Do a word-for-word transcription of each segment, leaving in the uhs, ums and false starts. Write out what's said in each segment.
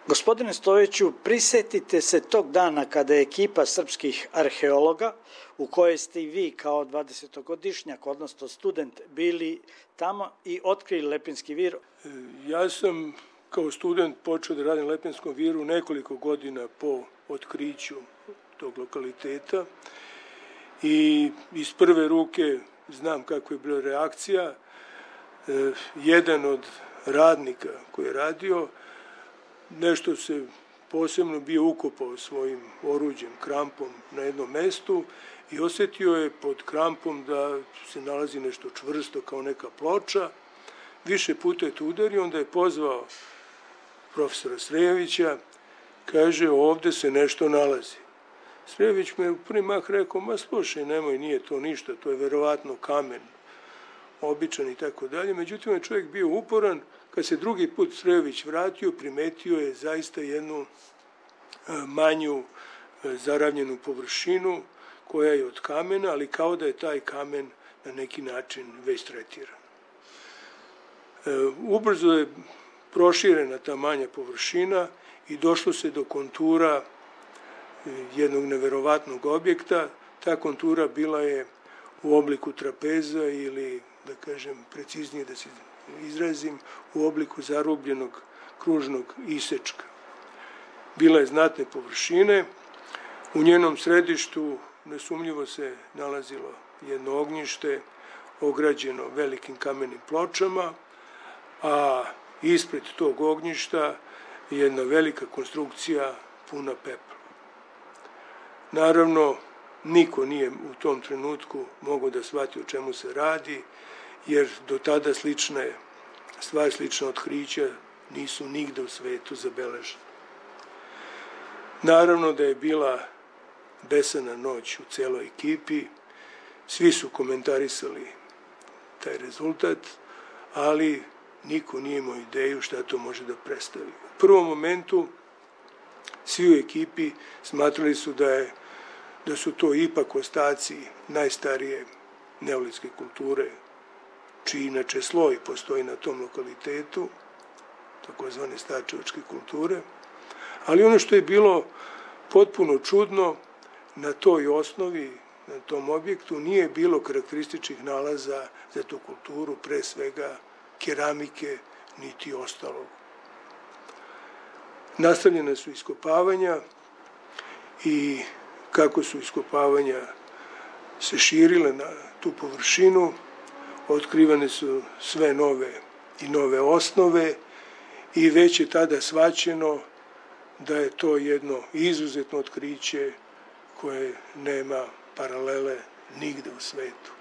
Gospodine Stojiću, prisetite se tog dana kada je ekipa srpskih arheologa, u kojoj ste i vi kao dvadesetogodišnjak, odnosno student, bili tamo i otkrili Lepenski vir. Ja sam kao student počeo da radim na Lepenskom viru nekoliko godina po otkriću tog lokaliteta i iz prve ruke znam kako je bila reakcija. Jedan od radnika koji je radio nešto se posebno bio ukopao svojim oruđem, krampom na jednom mestu i osjetio je pod krampom da se nalazi nešto čvrsto kao neka ploča. Više puta je to udario, onda je pozvao profesora Srejovića, kaže ovde se nešto nalazi. Srejović me u prvi mah rekao, ma slušaj, nemoj, nije to ništa, to je verovatno kamen, običan i tako dalje. Međutim, je čovjek bio uporan. Kad se drugi put Srejović vratio, primetio je zaista jednu manju zaravnjenu površinu koja je od kamena, ali kao da je taj kamen na neki način već tretiran. Ubrzo je proširena ta manja površina i došlo se do kontura jednog neverovatnog objekta. Ta kontura bila je u obliku trapeza ili, da kažem, preciznije da se izrazim, u obliku zarubljenog kružnog isečka. Bila je znatne površine, u njenom središtu nesumnjivo se nalazilo jedno ognjište ograđeno velikim kamenim pločama, a ispred tog ognjišta jedna velika konstrukcija puna pepela. Naravno, niko nije u tom trenutku mogao da shvati o čemu se radi, jer do tada slične stvari, slična otkrića nisu nigde u svetu zabeležene. Naravno da je bila besana noć u celoj ekipi, svi su komentarisali taj rezultat, ali niko nije imao ideju šta to može da predstavi. U prvom momentu svi u ekipi smatrali su da, je, da su to ipak ostaci najstarije neolitske kulture, čiji inače sloj postoji na tom lokalitetu, takozvane starčevačke kulture. Ali ono što je bilo potpuno čudno, na toj osnovi, na tom objektu, nije bilo karakterističnih nalaza za tu kulturu, pre svega keramike, niti ostalog. Nastavljena su iskopavanja i kako su iskopavanja se širile na tu površinu, otkrivane su sve nove i nove osnove i već je tada shvaćeno da je to jedno izuzetno otkriće koje nema paralele nigde u svetu.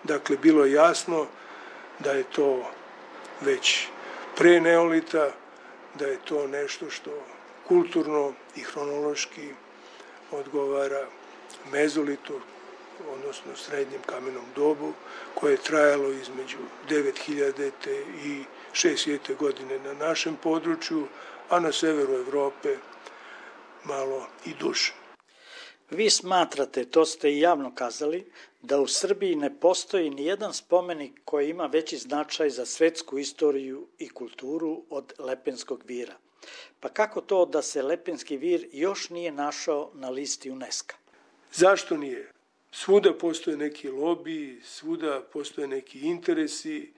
Dakle, bilo je jasno da je to već pre neolita, da je to nešto što kulturno i hronološki odgovara mezolitu, odnosno srednjem kamenom dobu, koje je trajalo između devet hiljade i šest hiljade godine na našem području, a na severu Evrope malo i duže. Vi smatrate, to ste i javno kazali, da u Srbiji ne postoji ni jedan spomenik koji ima veći značaj za svetsku istoriju i kulturu od Lepenskog vira. Pa kako to da se Lepenski vir još nije našao na listi UNESCO? Zašto nije? Svuda postoje neki lobiji, svuda postoje neki interesi.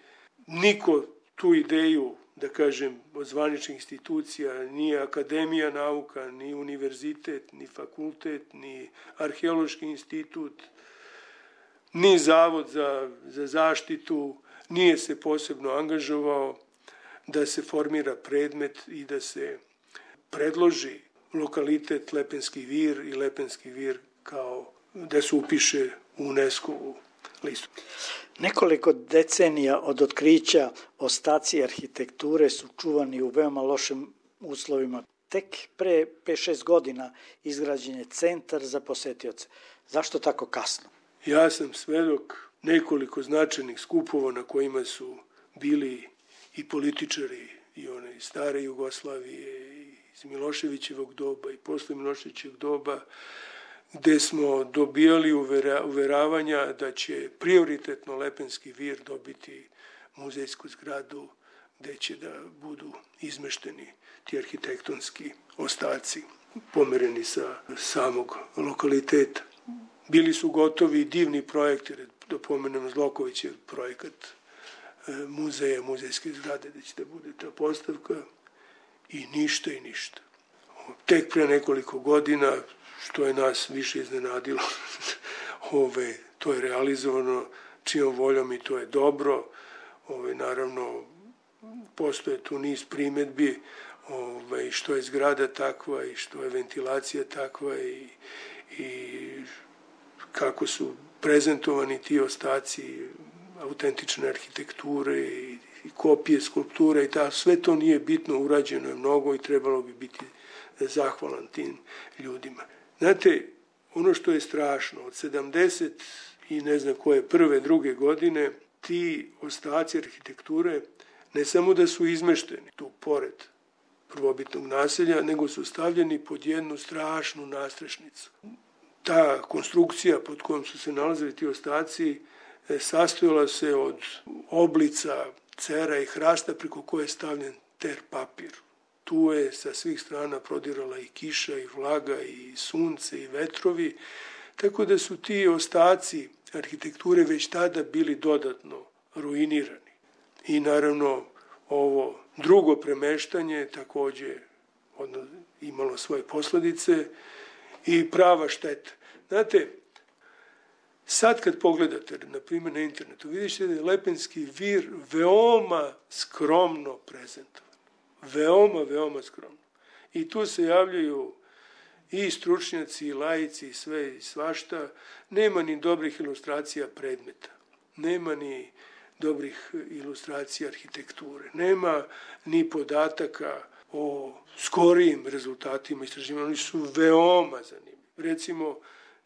Niko tu ideju, da kažem, od zvaničnih institucija, ni Akademija nauka, ni univerzitet, ni fakultet, ni arheološki institut, ni Zavod za, za zaštitu, nije se posebno angažovao da se formira predmet i da se predloži lokalitet Lepenski vir i Lepenski vir kao da se upiše u UNESCO-u listu. Nekoliko decenija od otkrića ostaci arhitekture su čuvani u veoma lošim uslovima. Tek pre pet šest godina izgrađen je centar za posetioce. Zašto tako kasno? Ja sam svedok nekoliko značajnih skupova na kojima su bili i političari i one stare Jugoslavije, iz Miloševićevog doba i posle Miloševićevog doba, gde smo dobijali uveravanja da će prioritetno Lepenski vir dobiti muzejsku zgradu gde će da budu izmešteni ti arhitektonski ostaci, pomereni sa samog lokaliteta. Bili su gotovi divni projekti, da pomenem Zlokovićev projekat muzeja, muzejske zgrade, gde će da bude ta postavka, i ništa i ništa. Tek pre nekoliko godina, što je nas više iznenadilo, ove, to je realizovano čijom voljom i to je dobro. Ove, naravno, postoje tu niz primetbi, ove, što je zgrada takva i što je ventilacija takva i, i kako su prezentovani ti ostaci autentične arhitekture i, i kopije skulpture i ta, sve to nije bitno, urađeno je mnogo i trebalo bi biti zahvalan tim ljudima. Znate, ono što je strašno, od sedamdeset i ne znam koje prve, druge godine, ti ostaci arhitekture ne samo da su izmešteni tu pored prvobitnog naselja, nego su stavljeni pod jednu strašnu nastrešnicu. Ta konstrukcija pod kojom su se nalazili ti ostaci sastojala se od oblica, cera i hrasta preko koje je stavljen ter papir. Tu je sa svih strana prodirala i kiša, i vlaga, i sunce, i vetrovi, tako da su ti ostaci arhitekture već tada bili dodatno ruinirani. I naravno ovo drugo premeštanje takođe imalo svoje posledice i prava šteta. Znate, sad kad pogledate, na primjer na internetu, vidite da je Lepenski vir veoma skromno prezentovan. Veoma, veoma skromno. I tu se javljaju i stručnjaci, i laici, i sve i svašta. Nema ni dobrih ilustracija predmeta. Nema ni dobrih ilustracija arhitekture. Nema ni podataka o skorijim rezultatima istraživanja. Oni su veoma zanimljivi. Recimo,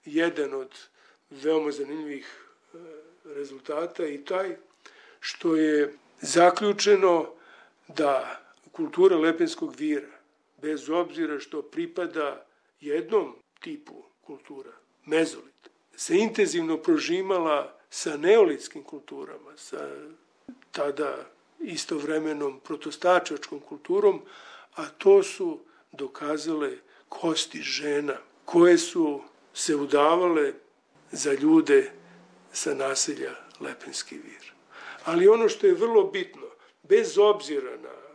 jedan od veoma zanimljivih rezultata i taj što je zaključeno da kultura Lepenskog vira, bez obzira što pripada jednom tipu kultura, mezolit, se intenzivno prožimala sa neolitskim kulturama, sa tada istovremenom protostačačkom kulturom, a to su dokazale kosti žena koje su se udavale za ljude sa naselja Lepenski vir. Ali ono što je vrlo bitno, bez obzira na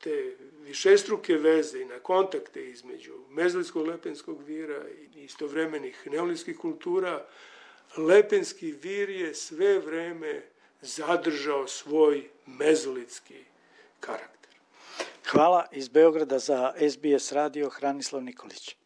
te višestruke veze i na kontakte između mezolitskog Lepenskog vira i istovremenih neolitskih kultura, Lepenski vir je sve vreme zadržao svoj mezolitski karakter. Hvala iz Beograda za S B S radio, Hranislav Nikolić.